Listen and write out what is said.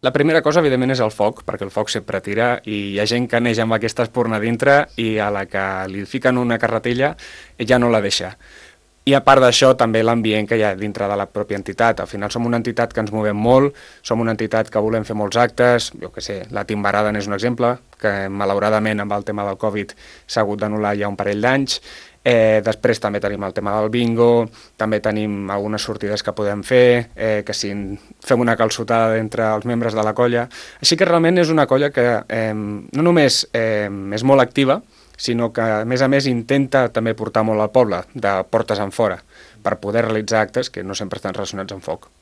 La primera cosa, evidentment, és el foc, perquè el foc sempre tira i hi ha gent que neix amb aquesta espurna dintre i a la que li fiquen una carretilla ja no la deixa. I a part d'això, també l'ambient que hi ha dintre de la pròpia entitat. Al final som una entitat que ens movem molt, som una entitat que volem fer molts actes, jo que sé, la Timbarada n'és un exemple, que malauradament amb el tema del Covid s'ha hagut d'anul·lar ja un parell d'anys. Després també tenim el tema del bingo, també tenim algunes sortides que podem fer, que si fem una calçotada entre els membres de la colla. Així que realment és una colla que no només és molt activa, sinó que a més intenta també portar molt al poble, de portes en fora, per poder realitzar actes que no sempre estan relacionats amb foc.